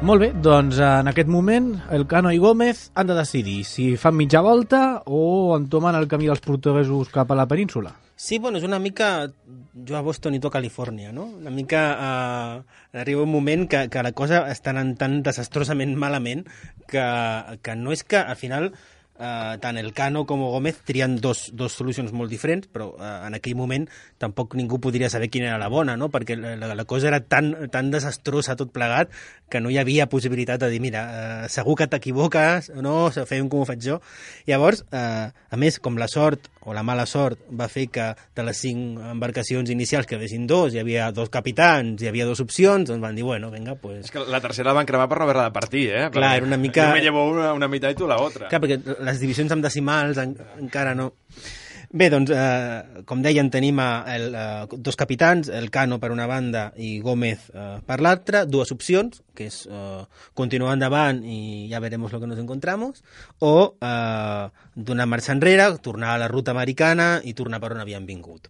Molt bé, doncs en aquest moment Elcano i Gómez han de decidir si fan mitja volta o entomen el camí dels portuguesos cap a la península. Sí, bueno, és una mica jo a Boston i tu a Califòrnia, no? Una mica arriba un moment que la cosa està anant tan desastrosament malament que no és que al final tant Elcano com Gómez trien dos solucions molt diferents, però en aquell moment tampoc ningú podria saber quina era la bona, no? Perquè la cosa era tan desastrosa tot plegat que no hi havia possibilitat de dir, mira, segur que t'equivoques, no, fem com ho faig jo. Llavors, a més, com la sort o la mala sort va fer que de les 5 embarcacions inicials que quedessin 2, hi havia 2 capitans, hi havia 2 opcions, doncs van dir, bueno, venga, pues... És que la tercera la van cremar per no haver-la de partir, eh? Clar, era una mica... Jo me llevo una meitat i tu la otra. Clar, perquè les divisions amb decimals encara no... Bé, doncs, com deien, tenim 2 capitans, Elcano per una banda i Gómez per l'altra, 2 opcions, que és continuar endavant i ja veremos lo que nos encontramos, o donar marxa enrere, tornar a la ruta americana i tornar per on havíem vingut.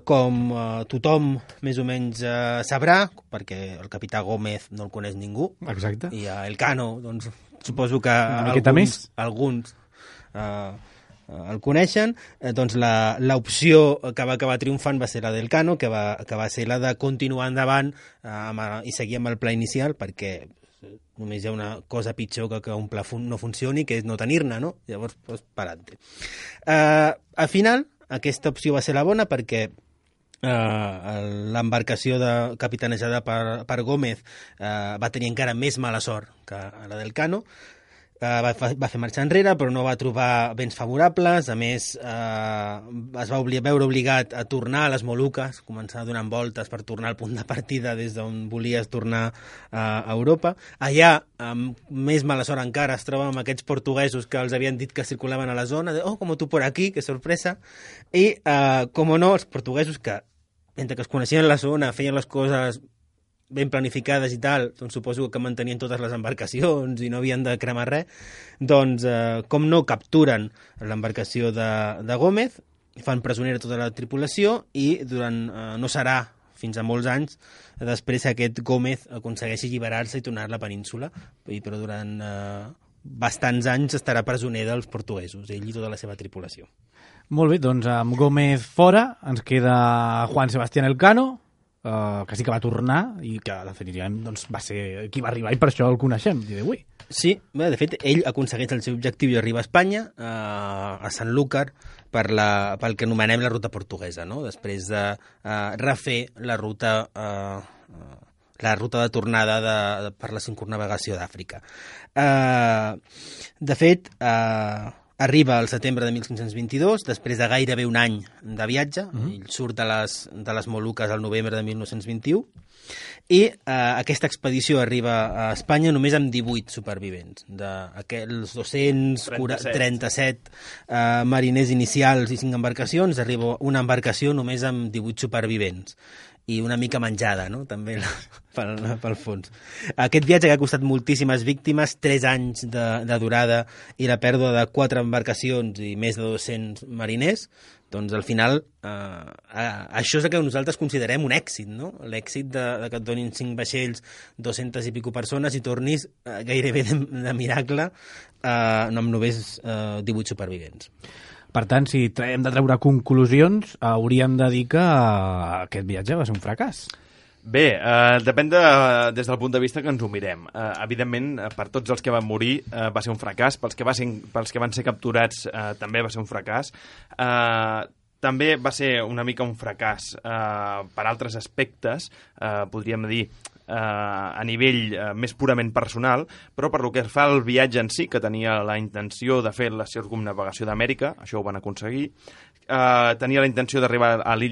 Com tothom més o menys sabrà, perquè el capità Gómez no el coneix ningú, Exacte. i a Elcano, doncs, suposo que alguns el coneixen, doncs l'opció que va acabar triomfant va ser la d'Elcano, que va ser la de continuar endavant i seguir amb el pla inicial, perquè només hi ha una cosa pitjor que un pla no funcioni, que és no tenir-ne, no? Llavors, doncs, parant-te. Al final, aquesta opció va ser la bona perquè l'embarcació capitanejada per Gómez va tenir encara més mala sort que la d'Elcano. Va fer marxa enrere, però no va trobar vents favorables. A més, es va veure obligat a tornar a les Moluques, començar donant voltes per tornar al punt de partida des d'on volies tornar a Europa. Allà, amb més mala sort encara, es troba amb aquests portuguesos que els havien dit que circulaven a la zona, de, como tu por aquí, que sorpresa. I, com no, els portuguesos que, mentre que es coneixien la zona, feien les coses ben planificades i tal, doncs suposo que mantenien totes les embarcacions i no havien de cremar res, doncs, com no, capturen l'embarcació de Gómez, fan presonera tota la tripulació i durant no serà fins a molts anys després aquest Gómez aconsegueixi alliberar-se i tornar a la península, però durant bastants anys estarà presoner dels portuguesos, ell i tota la seva tripulació. Molt bé, doncs amb Gómez fora ens queda Juan Sebastián Elcano, que sí que va tornar i que definitivament doncs, va ser qui va arribar i per això el coneixem dia d'avui. Sí, bé, de fet, ell aconsegueix el seu objectiu i arriba a Espanya, a Sanlúcar, pel que anomenem la ruta portuguesa, no? Després de refer la ruta de tornada per la circunnavegació d'Àfrica. De fet, arriba al setembre de 1522, després de gairebé un any de viatge, ell surt de les Moluques al novembre de 1921, i aquesta expedició arriba a Espanya només amb 18 supervivents. D'aquells 237 mariners inicials i 5 embarcacions, arriba una embarcació només amb 18 supervivents. I una mica menjada, no?, també pel fons. Aquest viatge que ha costat moltíssimes víctimes, 3 anys de durada i la pèrdua de 4 embarcacions i més de 200 mariners, doncs al final això és el que nosaltres considerem un èxit, no? L'èxit de que et donin 5 vaixells, 200 i pico persones i tornis gairebé de miracle no amb només 18 supervivents. Per tant, si hem de treure conclusions, hauríem de dir que aquest viatge va ser un fracàs. Bé, depèn des del punt de vista que ens ho mirem. Evidentment, per tots els que van morir va ser un fracàs, pels que van ser capturats també va ser un fracàs. També va ser una mica un fracàs per altres aspectes, podríem dir, a nivell més purament personal, però per lo que fa al viatge en si, que tenia la intenció de fer la circumnavegació d'Amèrica, això ho van aconseguir, tenia la intenció d'arribar a les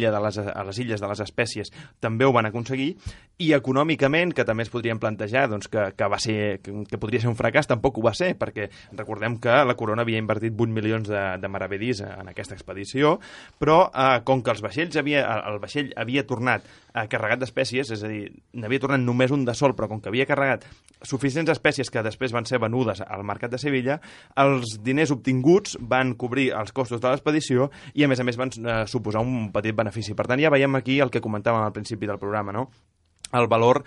illes de les Espècies, també ho van aconseguir, i econòmicament, que també es podrien plantejar doncs, que podria ser un fracàs, tampoc ho va ser, perquè recordem que la corona havia invertit 8 milions de maravedís en aquesta expedició, però com que el vaixell havia tornat carregat d'espècies, és a dir, n'havia tornat només un de sol, però com que havia carregat suficients espècies que després van ser venudes al mercat de Sevilla, els diners obtinguts van cobrir els costos de l'expedició i, a més van suposar un petit benefici. Per tant, ja veiem aquí el que comentàvem al principi del programa, no? el valor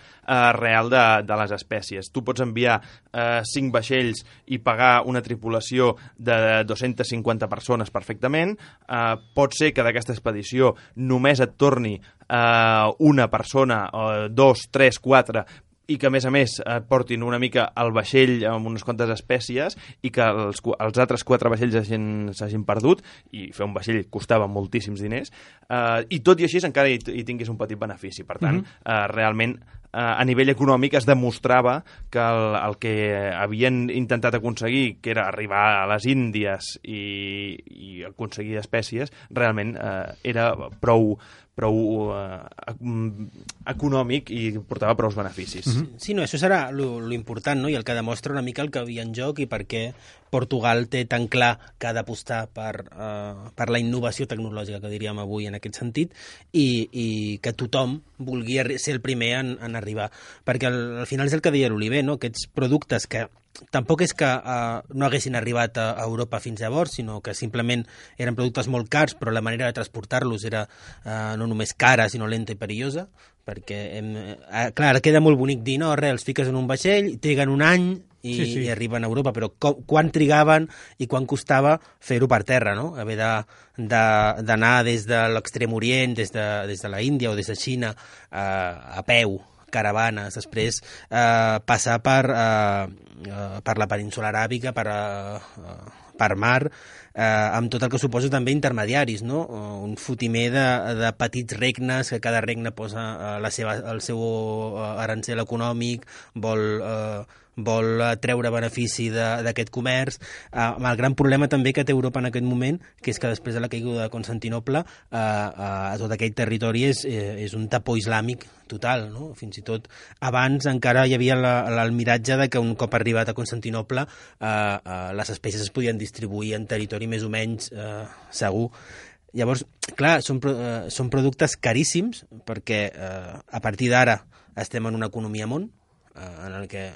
real de les espècies. Tu pots enviar 5 vaixells i pagar una tripulació de 250 persones perfectament. Pot ser que d'aquesta expedició només et torni una persona, 2, 3, 4, i que, a més, et portin una mica el vaixell amb unes quantes espècies i que els altres 4 vaixells s'hagin perdut, i fer un vaixell costava moltíssims diners, i tot i així encara hi tinguis un petit benefici. Per tant, realment, a nivell econòmic es demostrava que el que havien intentat aconseguir, que era arribar a les Índies i aconseguir espècies, realment era prou econòmic i portava prou beneficis. Sí, no, això serà lo important, no? I el que demostra una mica el que havia en joc i per què Portugal té tan clar que ha d'apostar per la innovació tecnològica, que diríem avui en aquest sentit, i que tothom vulgui ser el primer en arribar. Perquè al final és el que deia l'Oliver, no? Aquests productes que tampoc és que no haguessin arribat a Europa fins llavors, sinó que simplement eren productes molt cars, però la manera de transportar-los era no només cara, sinó lenta i perillosa, perquè, clar, ara queda molt bonic dir, no, els fiques en un vaixell, triguen un any i arriben a Europa, però quan trigaven i quan costava fer-ho per terra, no? Haver d'anar des de l'Extrem Orient, des de la Índia o des de Xina a peu, caravanes, després passar per la península aràbica, per mar, amb tot el que suposa també intermediaris, no? Un fotimer de petits regnes, que cada regne posa el seu arancel econòmic, vol treure benefici d'aquest comerç, amb el gran problema també que té Europa en aquest moment, que és que després de la caiguda de Constantinople a tot aquell territori és un tapó islàmic total, no? Fins i tot abans encara hi havia el miratge de que un cop arribat a Constantinople les espècies es podien distribuir en territori més o menys segur. Llavors, clar, són productes caríssims perquè a partir d'ara estem en una economia món en el que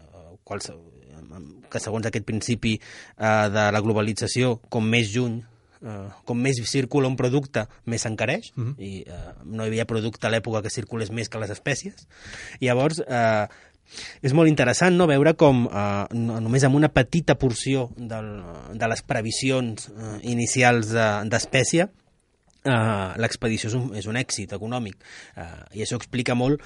segons aquest principi de la globalització, com més lluny, com més circula un producte, més s'encareix, i no hi havia producte a l'època que circulés més que les espècies. I llavors és molt interessant, no?, veure com només amb una petita porció de les previsions inicials d'espècie l'expedició és un èxit econòmic, i això explica molt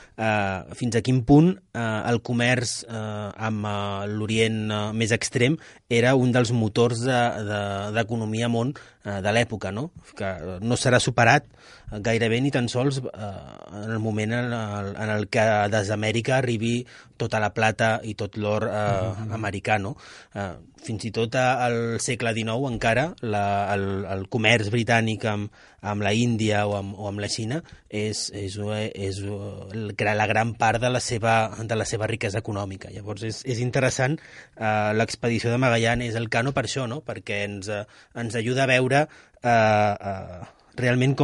fins a quin punt el comerç amb l'Orient més extrem era un dels motors d'economia món de l'època, no? Que no serà superat gairebé ni tan sols en el moment en el que des d'Amèrica arribi tota la plata i tot l'or americà, no? Fins i tot al segle XIX encara el comerç britànic amb la Índia o amb la Xina és la gran part de la seva riquesa econòmica. Llavors és interessant, l'expedició de Magallanes Elcano per això, no? Perquè ens ajuda a veure realment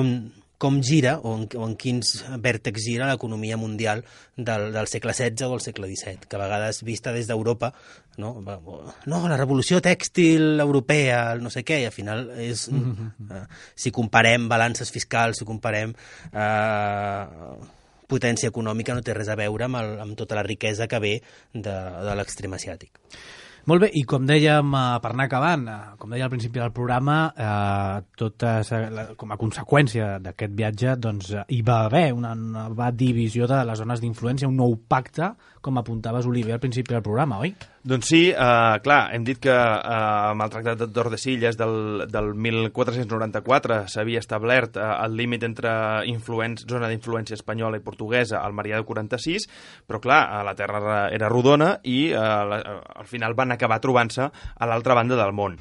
com gira o en quins vèrtexs gira l'economia mundial del segle XVI o del segle XVII, que a vegades vista des d'Europa, no, la revolució tèxtil europea, no sé què, i al final és, si comparem balances fiscals, si comparem potència econòmica, no té res a veure amb tota la riquesa que ve de l'extrem asiàtic. Molt bé, i com dèiem, per anar acabant, com deia al principi del programa, com a conseqüència d'aquest viatge, doncs hi va haver una nova divisió de les zones d'influència, un nou pacte, com apuntaves, Oliver, al principi del programa, oi? Doncs sí, clar, hem dit que amb el Tractat de Tordesillas del 1494 s'havia establert el límit entre zona d'influència espanyola i portuguesa al Merià de 46, però clar, la Terra era rodona i al final van acabar trobant-se a l'altra banda del món.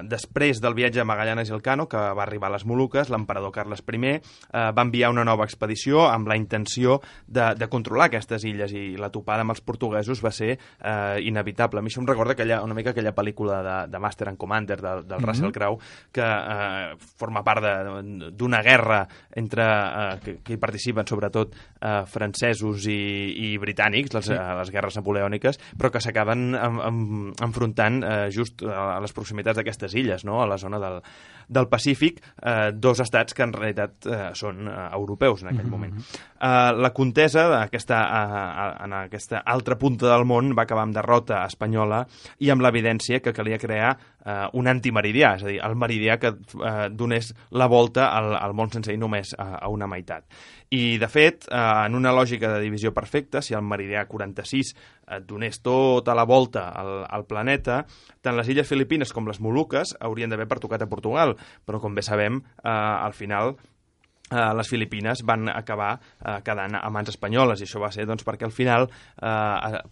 Després del viatge a Magallanes Elcano, que va arribar a les Moluques, l'emperador Carles I va enviar una nova expedició amb la intenció de controlar aquestes illes, i la topada amb els portuguesos va ser inevitable. inevitable. A mi això em recorda una mica aquella pel·lícula de Master and Commander del Russell Crowe, que forma part d'una guerra entre que hi participen sobretot francesos i britànics, les guerres napoleòniques, però que s'acaben enfrontant just a les proximitats d'aquestes illes, no? A la zona del Pacífic, dos estats que en realitat són europeus en aquell moment. La contesa en aquesta altra punta del món va acabar amb derrota espanyola i amb l'evidència que calia crear un antimeridià, és a dir, el meridià que donés la volta al món sencer i només a una meitat. I, de fet, en una lògica de divisió perfecta, si el meridià 46 donés tota la volta al planeta, tant les illes Filipines com les Moluques haurien d'haver pertocat a Portugal, però, com bé sabem, al final les Filipines van acabar quedant a mans espanyoles, i això va ser perquè al final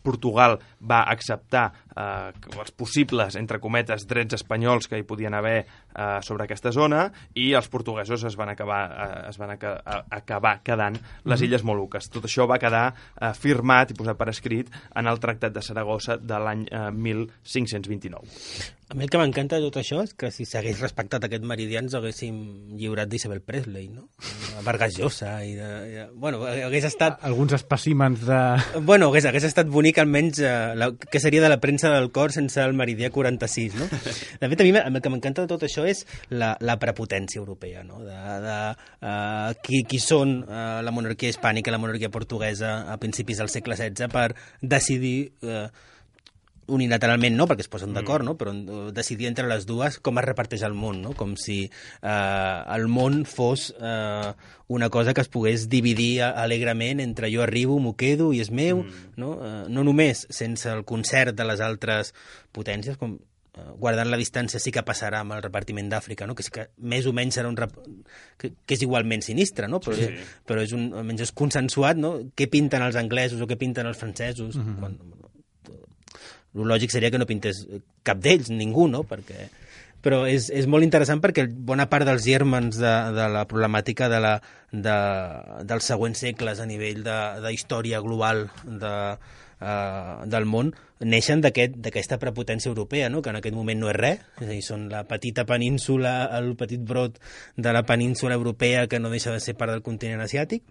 Portugal va acceptar els possibles, entre cometes, drets espanyols que hi podien haver sobre aquesta zona, i els portuguesos es van acabar quedant les Illes Moluques. Tot això va quedar firmat i posat per escrit en el Tractat de Saragossa de l'any 1529. A mi el que m'encanta de tot això és que si s'hagués respectat aquest meridià ens haguéssim lliurat d'Isabel Presley, no? Vargas Llosa bueno, hagués estat... Alguns espècimens de... Bueno, hagués estat bonic almenys que seria de la premsa del cor sense el meridià 46, no? De fet, a mi el que m'encanta de tot això és la prepotència europea, no? Qui són la monarquia hispànica i la monarquia portuguesa a principis del segle XVI per decidir... unilateralment no, perquè es posen d'acord, no? Però decidir entre les dues com es reparteix el món, no? Com si el món fos una cosa que es pogués dividir alegrement entre jo arribo, m'ho quedo i és meu, no? No només sense el concert de les altres potències, com guardant la distància sí que passarà amb el repartiment d'Àfrica, no? Que sí que més o menys serà que és igualment sinistre, no? Però, però almenys és consensuat, no? Què pinten els anglesos o què pinten els francesos, el lògic seria que no pintés cap d'ells, ningú, no? Però és molt interessant perquè bona part dels gèrmens de la problemàtica dels següents segles a nivell de història global del món neixen d'aquesta prepotència europea, no? Que en aquest moment no és res, és a dir, són la petita península, el petit brot de la península europea que no deixa de ser part del continent asiàtic,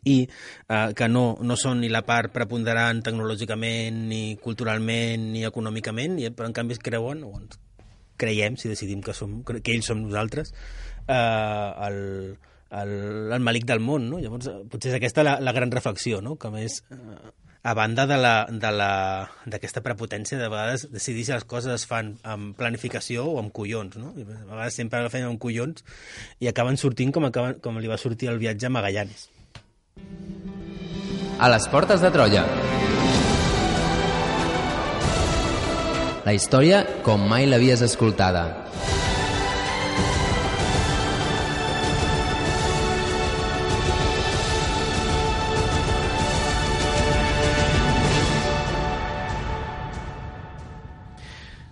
i que no són ni la part preponderant tecnològicament, ni culturalment, ni econòmicament, però en canvi es creuen, o ens creiem, si decidim que ells som nosaltres, el malic del món, no? Llavors, potser és aquesta la gran reflexió, no? Que més, a banda d'aquesta prepotència, de vegades decidir si les coses es fan amb planificació o amb collons, no? A vegades sempre la feien amb collons i acaben sortint com li va sortir el viatge a Magallanes. A les portes de Troia. La història com mai l'havies escoltada.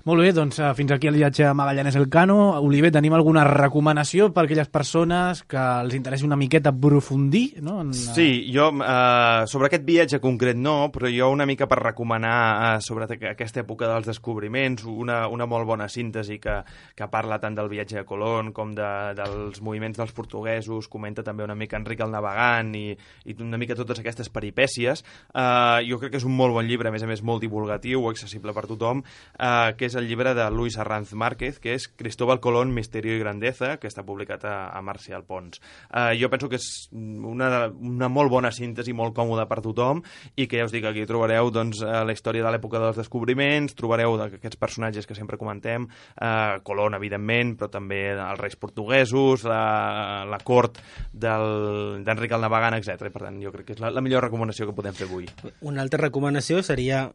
Molt bé, doncs fins aquí el viatge a Magallanes Elcano. Oliver, tenim alguna recomanació per a aquelles persones que els interessi una miqueta aprofundir? No? Sí, jo sobre aquest viatge concret no, però jo una mica per recomanar sobre aquesta època dels descobriments, una molt bona síntesi que parla tant del viatge de Colón com dels moviments dels portuguesos, comenta també una mica Enric el Navegant i una mica totes aquestes peripècies. Jo crec que és un molt bon llibre, a més molt divulgatiu, accessible per tothom, que és el llibre de Luis Arranz Márquez, que és Cristóbal Colón, Misterio y Grandeza, que està publicat a Marcial Pons. Jo penso que és una molt bona síntesi, molt còmoda per tothom, i que ja us dic, aquí trobareu la història de l'època dels descobriments, trobareu aquests personatges que sempre comentem, Colón, evidentment, però també els reis portuguesos, la cort d'Enric el Navegant, etc. Per tant, jo crec que és la millor recomanació que podem fer avui. Una altra recomanació seria,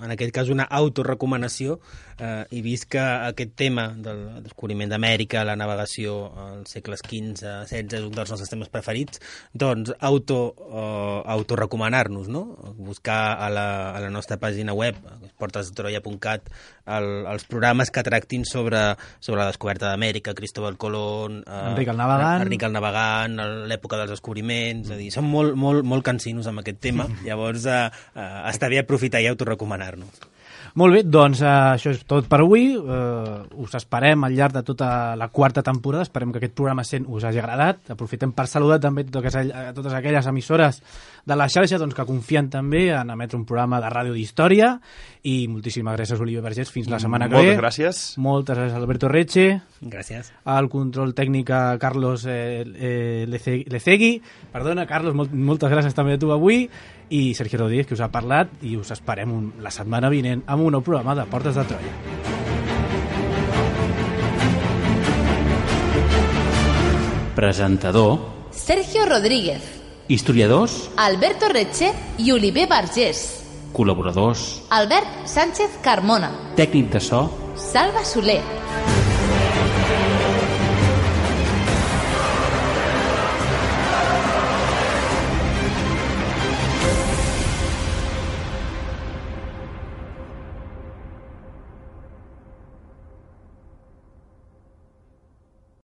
en aquest cas, una autorecomanació, i vist que aquest tema del descobriment d'Amèrica, la navegació als segles XV, XVI, és un dels nostres temes preferits, doncs autorecomanar-nos, no? Buscar a la nostra pàgina web, portesdetroia.cat, els programes que tractin sobre la descoberta d'Amèrica, Cristóbal Colón, Enric el Navegant, l'època dels descobriments, és a dir, són molt cansinos amb aquest tema, llavors està bé aprofitar i autorecomanar-nos. Molt bé, doncs això és tot per avui. Us esperem al llarg de tota la quarta temporada. Esperem que aquest programa 100 us hagi agradat. Aprofitem per saludar també totes aquelles emissores de la xarxa que confien també en emetre un programa de ràdio d'història. I moltíssimes gràcies, Oliver Vergés. Fins la setmana que ve. Moltes gràcies. Moltes gràcies, Alberto Reche. Gràcies. Al control tècnic Carlos Lecegui. Perdona, Carlos, moltes gràcies també a tu avui. I Sergio Rodríguez, que us ha parlat, i us esperem la setmana vinent amb un nou programa de Portes de Troia. Presentador Sergio Rodríguez, historiadors, Alberto Reche i Oliver Vergés, col·laboradors, Albert Sánchez Carmona, tècnic de so, Salva Soler,